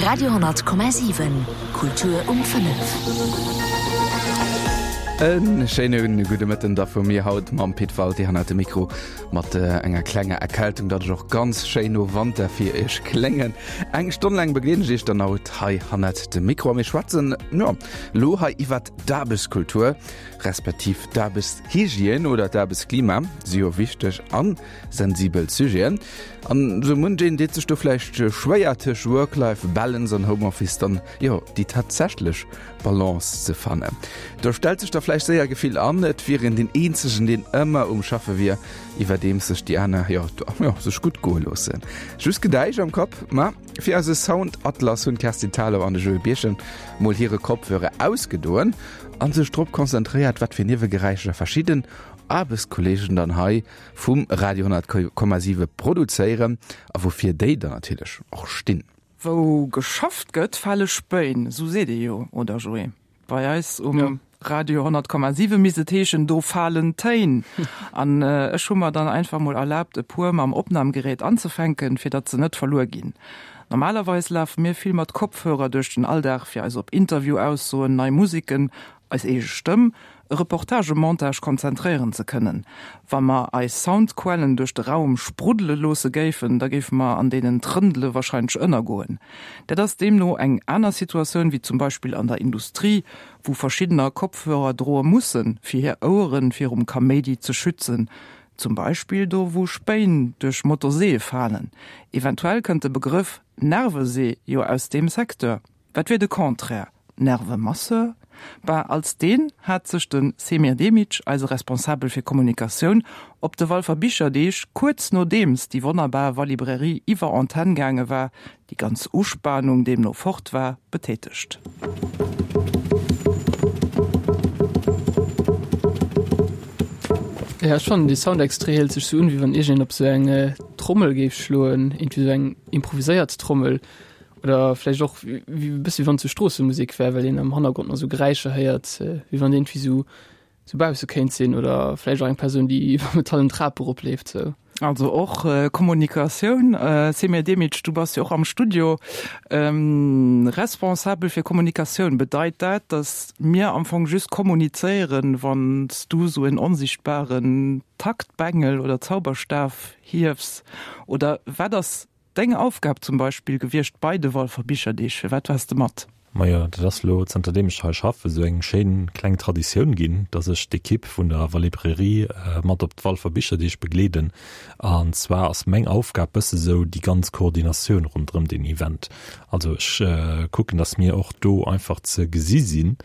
Radio 10,7 Kultur um 5. E schéine gudde Mëtten da vu mir haut mam Pit Walté hannert dem Mikro mat enger klenger Erkältung, datt ech och ganz schéin no Wanter fir iech kléngen. Eng Stonn laang begleeden ech iech dann haut hei hannert dem Mikro a mir schwätzen, jo, lo hei iwwert d'Aarbechtskultur, respektiv d'Aarbechtshygiène oder d'Aarbechtsklima si jo wichteg an sensibel Sujeten. An sou munch een deet sech do vläicht schwéier tëscht Work-Life Balance an Homeoffice dann, jo, déi tatsächlech Balance ze fannen. Do stellt sech da vläicht séier Gefill an, et wier een deen eenzegen, deen ëmmer um Schaffe wier, iwwerdeems sech déi aner, jo, jo, sech gutt goe loossen. Just Gedäisch am Kapp? Ma fir eise Sound-Atlas hunn d'Kerstin Thalau an de Joé Birchen mol hire Kopfhörer ausgedoen a sech drop konzentréiert, wat fir Niewegeräischer verschidden Aarbechtskolleegen dann hei vum Radio 10,7 produzéieren a woufir déi dann natierlech och stinn. Wou geschafft gëtt, fale Spéin, sou seet ee jo, oder Joé? Bei eis um Radio 10,7 misst et heeschen, do falen Téin. An ech hu mer dann einfach mol erlaabt, e puer mam Opnamgerät anzefänken, fir datt se net verluer ginn. Normalerweis lafe mir vill mat Kopfhörer duerch den Alldag, fir eis op Interview-Aussoen, nei Musiken, eis eege Stëmm, e Reportagemontage konzentréieren ze kënnen. Wa mer eis Soundquellen duerch de Raum spruddele loosse géifen, da géife mer an deenen Trëndele wahrscheinlech ënnergoen. Dat ass deemno eng aner Situatioun wéi zum Beispill an der Industrie, wou verschiddener Kopfhörer droe mussen, fir hir Oueren virum Kaméidi ze schützen, zum Beispill do wou Spéin duerch Motorseeë falen. Eventuell kënnt de Begrëff Nervesee jo aus deem Secteur. Wat wier de Contraire? Nervemasseur? Ben, als deen hat sech de Semir Demic, eise Responsabel fir Kommunikatioun, op de Walfer Bicherdeeg, kuerz nodeems déi wonnerbar Walibrairie iwwer Antenn gaange war, déi ganz Uspanung deemno fort war, betätegt. Jo, ech fannen dee Soundextrait héiert sech sou un, wéi wann iergendeen op sou eng Trommel géif schloen, iergendwéi sou eng improviséiert Trommel. Oder vläicht och wéi e bësse wéi wann et sou Stroossemusek wär, well een am Hannergrond nach sou Geräischer héiert, wéi wann iergendwéi sou sou bausse kéint sinn oder vläicht och eng Persoun, déi iwwer metallen Trap eropleeft sou. Also och Kommunikatioun. Semir Demic, du bass jo och am Studio responsabel fir Kommunikatioun. Bedeit dat, datt mir am Fong just kommunizéieren, wann s du sou en onsichtbaren Taktbengel oder Zauberstaf hiefs? Oder wat ass Deng Aufgab zum Beispill gewiescht bei de Walfer Bicherdeeg? Firwat waars de mat? Majo, dat ass elo, zanter deem ech hei schaffen, esou eng schéin kleng Traditioun ginn, dass ech d'Ekipp vun der Walibrairie mat op d'Walfer Bicherdeeg begleeden. An zwar ass meng Aufgab bësse sou déi ganz Koordinatioun ronderëm deen Event. Also ech kucken, dass mir och do einfach ze gesi sinn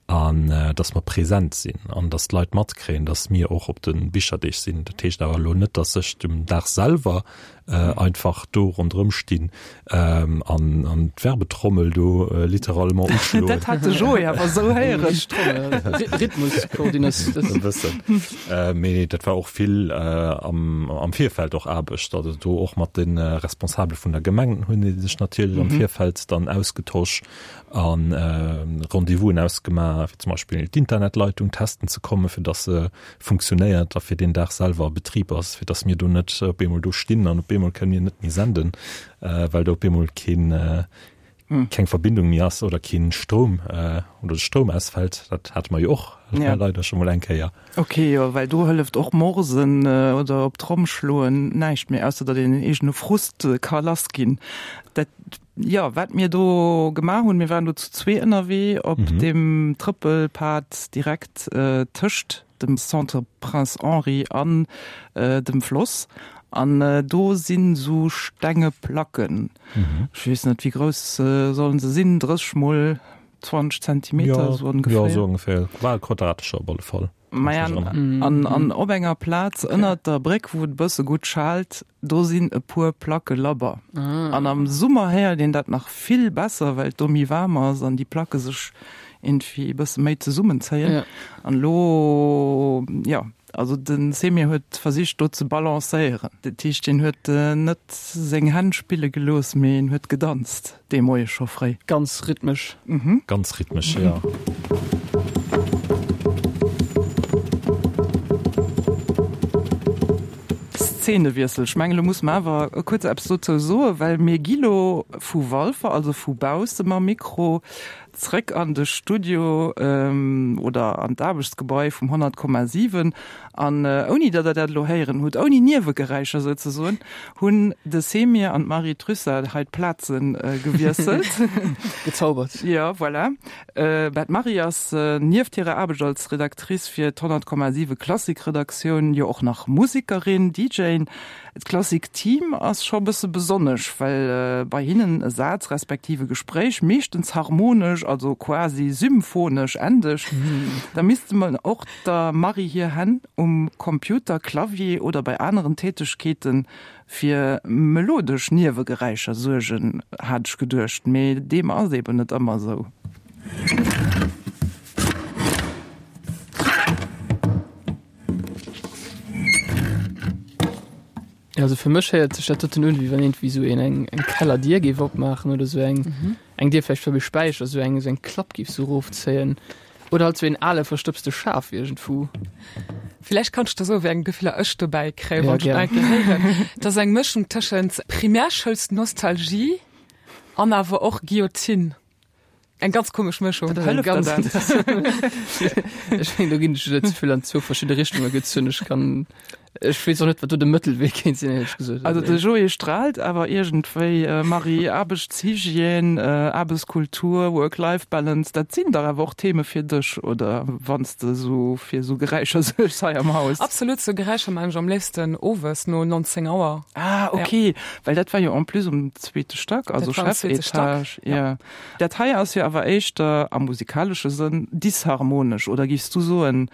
an dass mer present sinn an dass d'Leit matkréien, dass mir och op de Bicherdeeg sinn. Dat heescht awer elo net, dass ech dem Dag selwer einfach do ronderëm stinn an an d'Werbetrommel do littéralement uschloen. Dat hat de Joé awer esou héieren. Rhythmuskoordinatioun. E bëssen. Mee dat war och vill am am Virfeld och Aarbecht, also do och mat de Responsabele vun der Gemeng hunn ee sech natierlech am Virfeld dann ausgetosch. A Rendez-vousen ausgemaach, fir zum Beispill d'Internetleitung testen ze kommen, fir dass se funktionéiert a fir deen Dag selwer a Betrib ass, fir dass mir do net op eemol do stinn an op eemol kënnen mir net méi senden, well do op eemol keen, keng Verbindung méi ass oder keen Stroum oder de Stroum ausfält. Dat hate mer jo och leider scho mol eng Kéier. Ok, jo, well do hëlleft och Morsen oder op d'Tromm schloen näischt méi, ausser datt een den eegene Frust ka lassginn. Dat, jo, wat mir do gemaach hunn, mir waren do zu zwee ënnerwee op deem Trëppelpad direkt tëscht dem Centre Prince Henri an dem Floss an do sinn esou stenge Placken, ech weess net, wéi grouss sollen se sinn, 30 mol 20 Zentimeter, sou ongeféier. Jo, sou ongeféier, bal quadratescher op alle Fall. Maja, an, an op enger Plaz okay. ënnert der Bréck, wou et bësse gutt schaalt, do sinn e puer Placke labber. Ah. An am Summer héiert een dat nach vill besser, well et do méi waarm ass an déi Placke sech irgendwie e bësse méi zesummenzéien. Ja. An lo, ja, also den Semir huet versicht do ze balancéieren. Dat heescht, hien huet net seng Hänn spille gelooss, mee en huet gedanzt. Dee Moie scho fréi. Ganz rhythmesch. Ganz rhythmesch, jo. Zeenewiessel. Ech mengen, elo musse mer awer kuerz eppes dozou soen, well mir gi lo vu Walfer, also vu bausse mam Mikro, zréck an de Studio oder an d'Aarbechtsgebai vum 100,7. An ouni datt Der dat elo héieren hutt, ouni Niewegeräischer souzesoen, hunn de Semir an d'Marie Trussart hei d'Plaze gewiesselt. Gezaubert. Jo, voilà. Bah, d'Marie ass nieft hirer Aarbecht als Redactrice fir d'100,7 Klassik-Redaktioun jo och nach Musekerin, DJin. D'Klassik-Team ass scho bësse besonnesch, well bei hinnen e Saz respektiv e Gespréich meeschtens harmonesch, also quasi symphonesch endegt. Da misste mer och der Marie hir Hänn um Computer, Clavier oder bei aneren Tätegkeete fir melodesch Niewegeräischer suergen, hat ech geduecht, mee deem ass eben net ëmmer esou. Also fir mech héiert sech dat doten un, wéi wann iergendwéi esou een eng eng Kellerdier géif opmaachen oder esou eng eng Dier vläicht beim Späicher, esou eng esou eng Klapp géif esou erofzéien oder halt esou een ale verstëbste Schaf iergendwou. Villäicht kann ech der soen, wéi eng Gefiller ech dobäi kréien, Ja, wann ech gär. et eng Kéier héieren. Et ass eng Mëschung tëschent Primärschoulsnostalgie an awer och Guillotine. Eng ganz komesch Mëschung. Dat ass eng ganz Ech mengen, do ginn ech net ze vill an zwou verschidde Richtunge gezunn. Ech kann, ech weess och net, wat do de Mëttelwee kéint sinn, éierlech gesot. Also de Joé straalt awer iergendwéi, Marie, Aarbechtshygiène, Aarbechtskultur, Work-Life-Balance, dat sinn dach awer och Theme fir dech, oder? Wann s de esou fir esou Geräischer suergs hei am Haus. Absolut, sou Geräischer maachen ech am léifsten owes no 19 Auer. Ah, okay, well dat war jo en plus um zweete Stack, also Chefetage. Ja. Dat hei ass jo awer éischter am musikalesche Sënn disharmonesch, oder giffs du soen,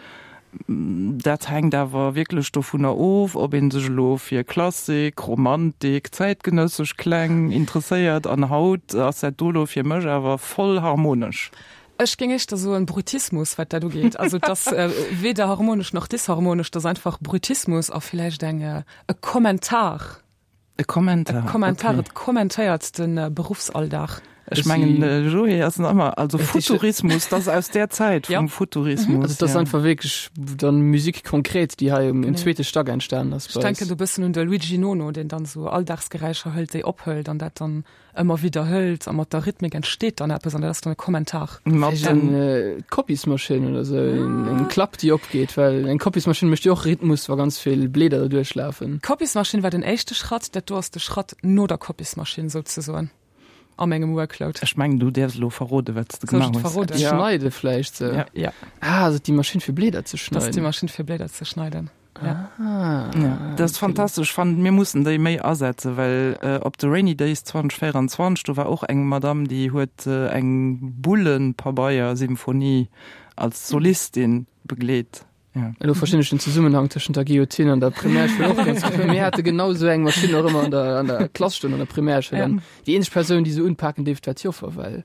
dat hänkt awer wierklech dovunner of, ob ee sech elo fir Klassik, Romantik, zäitgenëssesch Kläng interesséiert an haut ass dat do elo fir mech awer voll harmonesch? Ech géing éischter soen Brutismus, wat dat ugeet. Also et ass weder harmonesch nach disharmonesch, et ass einfach Brutismus a villäicht eng e Kommentar. E Kommentar. E Kommentar, okay. Et kommentéiert de Beruffsalldag. Ech mengen de Joé ass nach ëmmer, also Futurismus, dat ass aus där Zäit vum Futurismus. Also dat ass einfach wierklech dann Musique concrète, déi hei um zweete Stack entstanen ass. Ech denken do bëssen un de Luigi Nono, deen dann esou Alldagsgeräischer hëlt, déi ophëlt an dat dann ëmmer widderhëlt a mat der Rhythmik entsteet dann eppes an dat ass dann e Kommentar. Mat den Kopismaschinn oder sou, eng Klapp déi opgeet, well eng Kopismaschinn mécht jo och Rhythmus wa ganz vill Bleeder derduerch lafen. D'Kopismaschinn war den éischte Schratt, dat do ass de Schratt no der Kopismaschinn souzesoen a mengem Workload. Ech mengen du däerfs elo verrode wat s de Soll ech gemaach et hues. verroden? Eppes schneide vläicht sou. Ja. Ah, ass et déi Maschinn fir Bleeder ze Dat ass déi schneiden? Maschinn fir Bleeder ze schneiden. Ja. Ah, ja, dat ass fantastesch. Ech fannen, mir mussen déi méi asetzen, well äh, op de Rainy Days 2024, do war och eng Madame, déi huet äh, eng Bullenpabeier-Symphonie als Solistin begleet. Ja. Elo verstinn ech den Zesummenhang tëschent der Guillotine an der Primärschoul och ganz gutt. Mir hate genau esou eng Maschinn och ëmmer an der, an der Klass stoen an der Primärschoul. Ja. An déi eenzeg Persoun, déi se unpaken dierft, war d'Joffer, well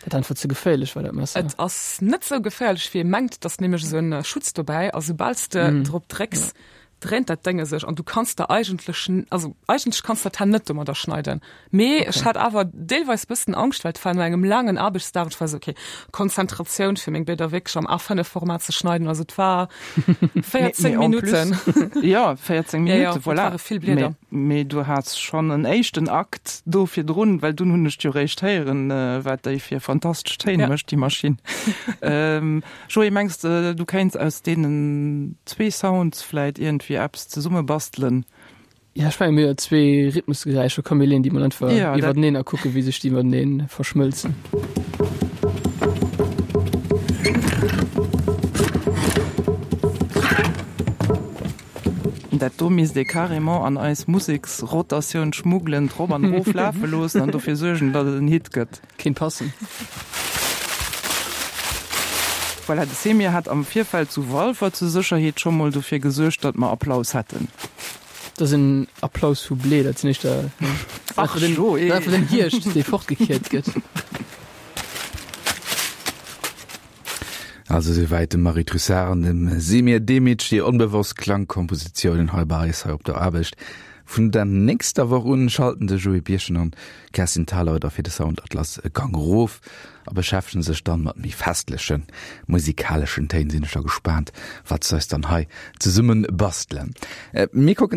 dat einfach ze geféierlech war, dat Messer. Et ass net sou geféierlech wéi ee mengt, et ass nämlech esou en Schutz dobäi a soubal s de drop drécks, dréint dat Dénge sech an du kanns der eigentlech, also eigentlech kanns der d'Hänn net domadder schneiden. Mee ech hat awer deelweis bëssen Angscht, well et war no engem laangen Aarbechtsdag, ech war esou okay, Konzentratioun fir meng Bléder wierklech am A5 Format ze schneiden, also et war 14 Minutten. Jo, 14 Minutten, voilà. Et ware vill Blieder. Mee du has schonn en éischten Akt do virdrun, well dunn hunn ech jo réischt héieren, wat déi fir fantastesch Téin mécht, déi Maschinn. Joé, mengs de, du kéints aus deenen zwee Sounds vläit iergendwéi eppes zesummebastelen? Jo, ech menge mir hu jo zwee Rhythmusgeräischer, komm mir leeën déi mol einfach iwwerteneen a kucke wéi sech déi matenee verschmëlzen. Dat do misst ee carrément an eis Museksrotatioun schmuggelen, drop an erof lafe loossen an dofir suergen, datt et en Hit gëtt. Kéint passen. Voilà, de Semir hat am Virfeld zu Walfer zur Sécherheet scho mol dofir gesuergt, datt mer Applaus hätten. Dat ass en Applaus vu Blee, dat sinn éischter Ach, Joé! einfach den Hierscht, dee fortgekiert gëtt. Also souwäit dem Marie Trussart an dem Semir Demic hir onbewosst Klangkompositiounen hei bei eis hei op der Aarbecht. Vun der nächster Woch un schalten de Joé Birchen an d'Kerstin Thalau da fir de Soundatlas e Gang erof a beschäftegen sech dann mat méi festlechen musikaleschen Téin. Sinn ech da gespaant wat se eis dann hei zesumme bastelen. Mir kucken.